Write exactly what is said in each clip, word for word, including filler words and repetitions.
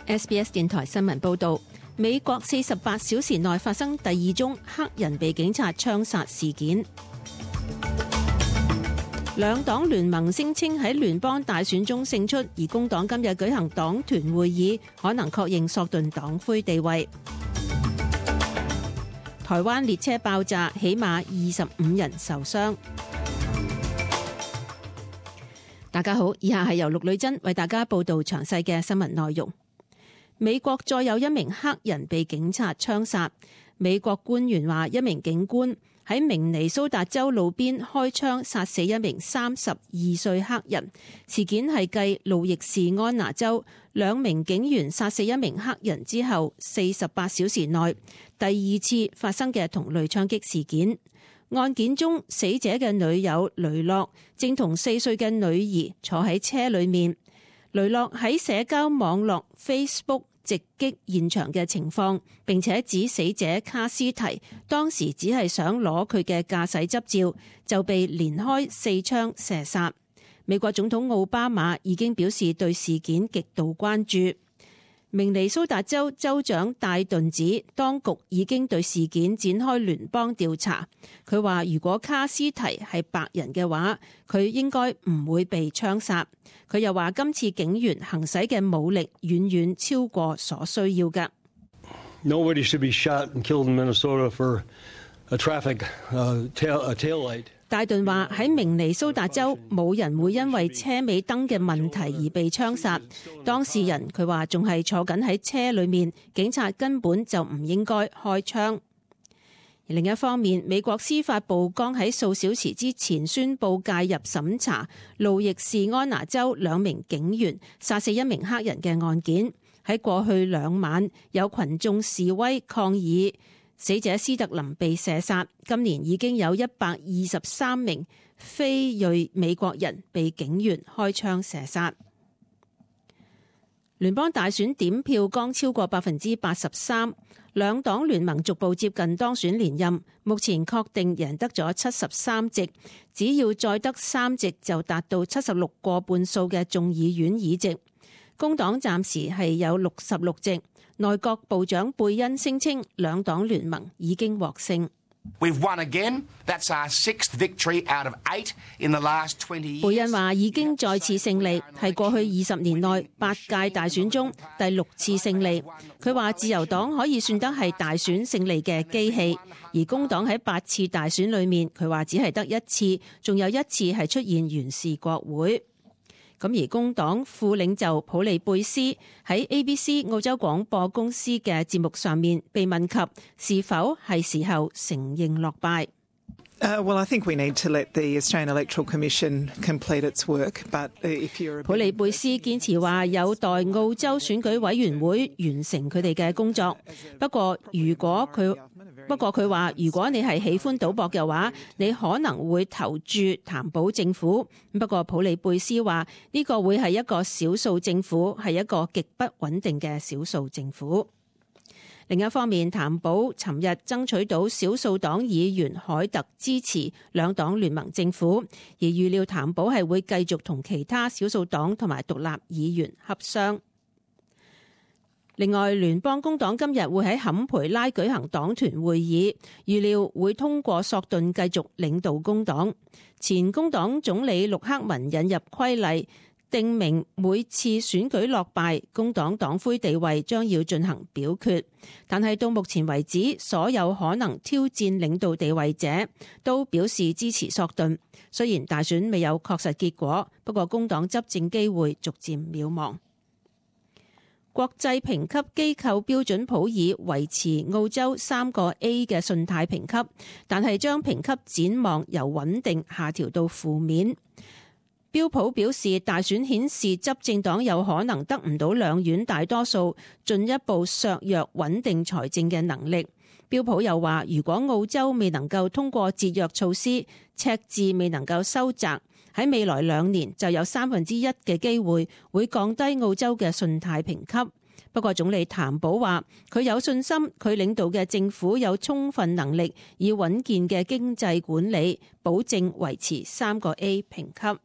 S B S 電台新聞報道，美國四十八小時內發生第二宗黑人被警察槍殺事件。兩黨聯盟聲稱喺聯邦大選中勝出，而工黨今日舉行黨團會議，可能確認索頓黨魁地位。台灣列車爆炸，起碼二十五人受傷。大家好，以下係由陸女珍為大家報道詳細嘅新聞內容。美國再有一名黑人被警察槍殺。美國官員話，一名警官喺明尼蘇達州路邊開槍殺死一名三十二歲黑人。事件係繼路易士安那州兩名警員殺死一名黑人之後，四十八小時內第二次發生嘅同類槍擊事件。案件中，死者嘅女友雷諾正同四歲嘅女兒坐喺車裏面。雷諾喺社交網絡 Facebook 直擊現場嘅情況，並且指死者卡斯提當時只係想攞佢嘅駕駛執照，就被連開四槍射殺。美國總統奧巴馬已經表示對事件極度關注。明尼蘇達州州長戴頓指，當局已經對事件展開聯邦調查。佢話如果卡斯提係白人嘅話，佢應該唔會被槍殺。佢又話今次警員行使嘅武力遠遠超過所需要嘅。Nobody should be shot and killed in Minnesota for a traffic uh, tail, a tail light. 戴頓話喺明尼蘇達州冇人會因為車尾燈嘅問題而被槍殺。當事人佢話仲係坐緊喺車裏面，警察根本就唔應該開槍。而另一方面，美國司法部剛喺數小時之前宣布介入審查路易士安那州兩名警員殺死一名黑人嘅案件。喺過去兩晚有群眾示威抗議死者斯特林被射殺，今年已經有一百二十三名非裔美國人被警員開槍射殺。聯邦大選點票剛超過百分之八十三，兩黨聯盟逐步接近當選連任，目前確定贏得咗七十三席，只要再得三席就達到七十六個半數嘅眾議院議席。工黨暫時係有六十六席。內閣部長貝恩聲稱兩黨聯盟已經獲勝。We've won again. That's our sixth victory out of eight in the last twenty years. 貝恩話已經再次勝利，係過去二十年內八屆大選中第六次勝利。佢話自由黨可以算得係大選勝利嘅機器，而工黨喺八次大選裏面，佢話只係得一次，仲有一次係出現完事國會。咁而工黨副領袖普利貝斯喺 A B C 澳洲廣播公司嘅節目上面被問及是否係時候承認落敗。Uh, well, I think we need to let the Australian Electoral Commission complete its work. But if you're 普利貝斯堅持話有待澳洲選舉委員會完成佢哋嘅工作。不過如果佢不過佢話如果你係喜歡賭博嘅話，你可能會投注譚寶政府。不過普利貝斯話呢個會係一個少數政府，係一個極不穩定嘅少數政府。另一方面，譚寶尋日爭取到少數黨議員凱特支持兩黨聯盟政府，而預料譚寶係會繼續同其他少數黨同埋獨立議員洽商。另外，聯邦工黨今日會喺坎培拉舉行黨團會議，預料會通過索頓繼續領導工黨。前工黨總理陸克文引入規例，定明每次選舉落敗，工黨黨魁地位將要進行表決。但係到目前為止，所有可能挑戰領導地位者都表示支持索頓。雖然大選未有確實結果，不過工黨執政機會逐漸渺茫。國際評級機構標準普爾維持澳洲三個 A 嘅信貸評級，但係將評級展望由穩定下調到負面。標普表示，大選顯示執政黨有可能得唔到兩院大多數，進一步削弱穩定財政嘅能力。標普又話，如果澳洲未能夠通過節約措施，赤字未能夠收窄，喺未來兩年就有三分之一嘅機會會降低澳洲嘅信貸評級。不過總理譚寶話，佢有信心佢領導嘅政府有充分能力以穩健嘅經濟管理，保證維持三個 A 評級。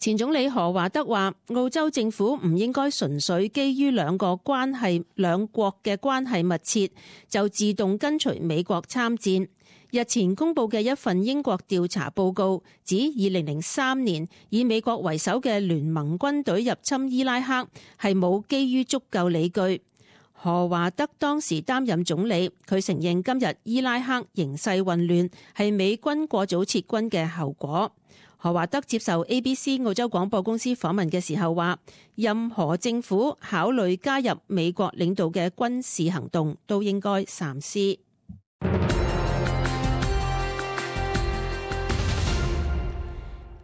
前總理何華德話，澳洲政府唔應該純粹基於兩個關係兩國嘅關係密切，就自動跟隨美國參戰。日前公布嘅一份英國調查報告指，二零零三年以美國為首嘅聯盟軍隊入侵伊拉克係冇基於足夠理據。何華德當時擔任總理，佢承認今日伊拉克形勢混亂係美軍過早撤軍嘅後果。何華德接受 A B C 澳洲廣播公司訪問嘅時候話，任何政府考慮加入美國領導嘅軍事行動都應該三思。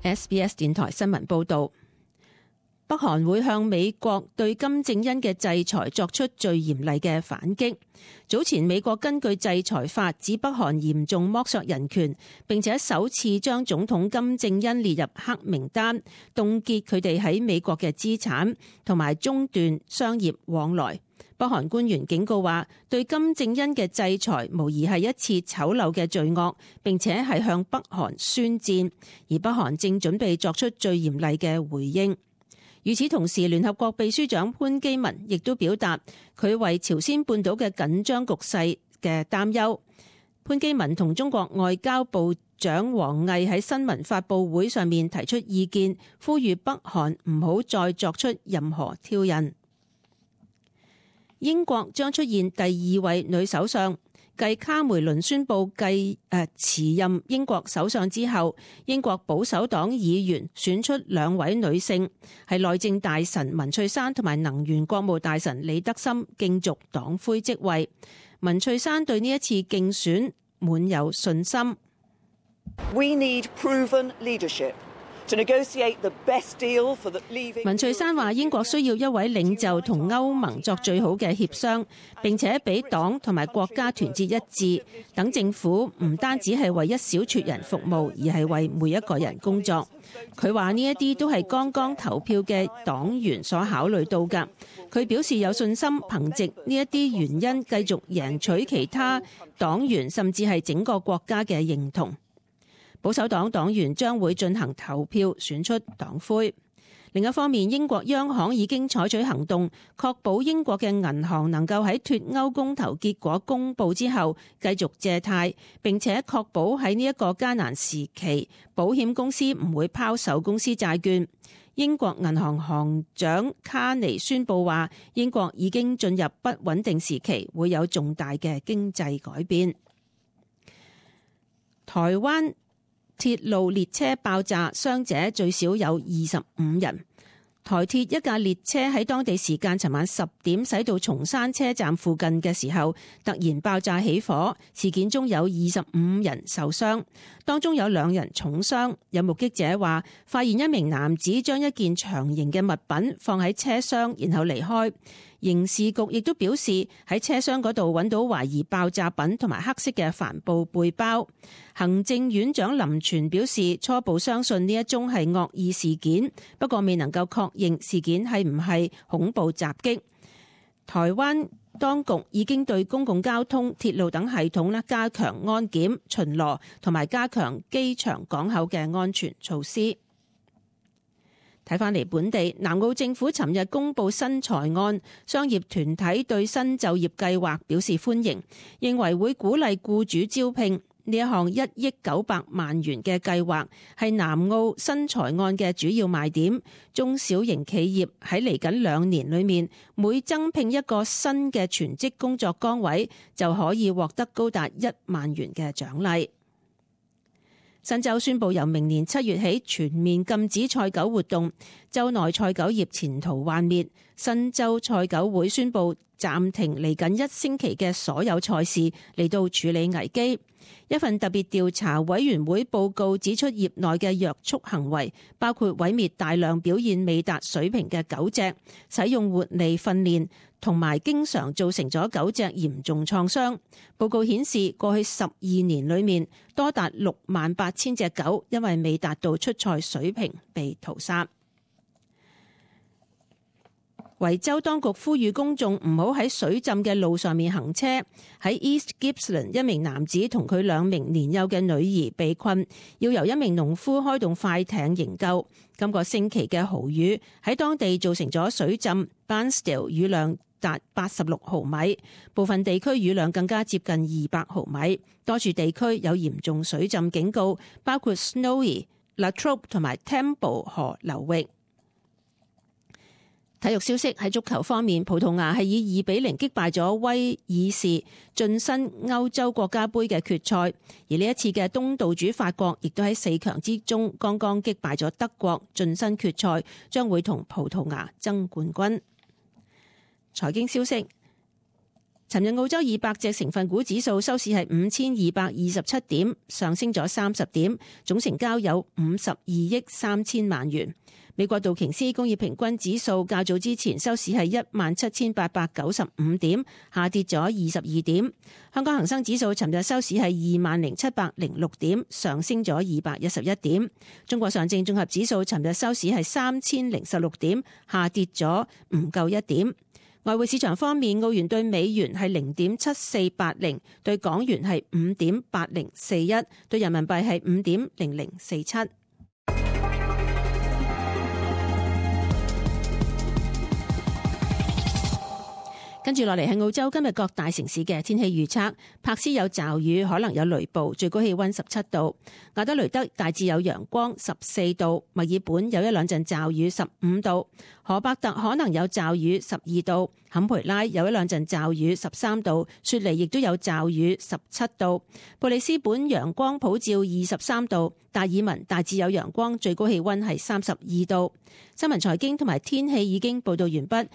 S B S 電台新聞報導。北韓會向美國對金正恩嘅制裁作出最嚴厲嘅反擊。早前美國根據制裁法指北韓嚴重剝削人權，並且首次將總統金正恩列入黑名單，凍結佢哋喺美國嘅資產，同埋中斷商業往來。北韓官員警告話，對金正恩嘅制裁無疑係一次醜陋嘅罪惡，並且係向北韓宣戰，而北韓正準備作出最嚴厲嘅回應。與此同時，聯合國秘書長潘基文亦都表達佢為朝鮮半島嘅緊張局勢嘅擔憂。潘基文同中國外交部長王毅喺新聞發佈會上面提出意見，呼籲北韓唔好再作出任何挑釁。英國將出現第二位女首相。繼卡梅倫宣布繼誒辭任英國首相之後，英國保守黨議員選出兩位女性，係內政大臣文翠珊同埋能源國務大臣李德森競逐黨魁職位。文翠珊對呢一次競選滿有信心。We need proven leadership. 文翠珊話：英國需要一位領袖同歐盟作最好嘅協商，並且俾黨同埋國家團結一致，等政府唔單止係為一小撮人服務，而係為每一個人工作。佢話呢一啲都係剛剛投票嘅黨員所考慮到㗎。佢表示有信心，憑藉呢一啲原因繼續贏取其他黨員甚至係整個國家嘅認同。保守黨黨員將會進行投票選出黨魁。另一方面，英國央行已經採取行動，確保英國嘅銀行能夠喺脫歐公投結果公佈之後繼續借貸，並且確保喺呢一個艱難時期，保險公司唔會拋售公司債券。英國銀行行長卡尼宣布話，英國已經進入不穩定時期，會有重大嘅經濟改變。台灣鐵路列車爆炸，傷者最少有二十五人。台鐵一架列車喺當地時間尋晚十點駛到松山車站附近嘅時候，突然爆炸起火。事件中有二十五人受傷，當中有兩人重傷。有目擊者話，發現一名男子將一件長形嘅物品放喺車廂，然後離開。刑事局亦都表示喺車廂嗰度揾到懷疑爆炸品同埋黑色嘅帆布背包。行政院長林全表示，初步相信呢一宗係惡意事件，不過未能夠確認事件係唔係恐怖襲擊。台灣當局已經對公共交通、鐵路等系統咧加強安檢、巡邏同埋加強機場港口嘅安全措施。睇返嚟本地，南澳政府尋日公布新財案，商業團體對新就業計劃表示歡迎，認為會鼓勵僱主招聘。呢一項一億九百萬元嘅計劃係南澳新財案嘅主要賣點。中小型企業喺嚟緊兩年裏面，每增聘一個新嘅全職工作崗位，就可以獲得高達一萬元嘅獎勵。新州宣布由明年七月起全面禁止賽狗活動，州內賽狗業前途幻滅。新州賽狗會宣布暫停嚟緊一星期嘅所有賽事，嚟到處理危機。一份特別調查委員會報告指出，業內嘅虐畜行為包括毀滅大量表現未達水平嘅狗隻，使用活利訓練，同埋經常造成咗狗隻嚴重創傷。報告顯示，過去十二年裏面，多達六萬八千隻狗因為未達到出賽水平被屠殺。維州當局呼籲公眾唔好喺水浸嘅路上面行車。喺 East Gippsland， 一名男子同佢兩名年幼嘅女兒被困，要由一名農夫開動快艇營救。今個星期嘅豪雨喺當地造成咗水浸 ，Bairnsdale 雨量達八十六毫米，部分地區雨量更加接近二百毫米。多處地區有嚴重水浸警告，包括 Snowy、Latrobe 同埋 Temple 河流域。體育消息，喺足球方面，葡萄牙係以二比零擊敗咗威爾士，晉身歐洲國家盃嘅決賽。而呢一次嘅東道主法國，亦都喺四強之中剛剛擊敗咗德國，晉身決賽，將會同葡萄牙爭冠軍。財經消息，尋日澳洲二百隻成分股指數收市係五千二百二十七點，上升咗三十點，總成交有五十二億三千萬元。美國道瓊斯工業平均指數較早之前收市係一萬七千八百九十五點，下跌咗二十二點。香港恒生指數尋日收市係二萬零七百零六點，上升咗二百一十一點。中國上證綜合指數尋日收市係三千零十六點，下跌咗唔夠一點。外匯市場方面，澳元對美元係零點七四八零，對港元係五點八零四一，對人民幣係五點零零四七。跟住落嚟係澳洲今日各大城市嘅天氣預測。柏斯有驟雨，可能有雷暴，最高氣溫十七度。亞德雷德大致有陽光，十四度。墨爾本有一兩陣驟雨，十五度。荷伯特可能有驟雨，十二度。坎培拉有一兩陣驟雨，十三度。雪梨亦都有驟雨，十七度。布里斯本陽光普照，二十三度。達爾文大致有陽光，最高氣溫係三十二度。新聞財經同埋天氣已經報道完畢。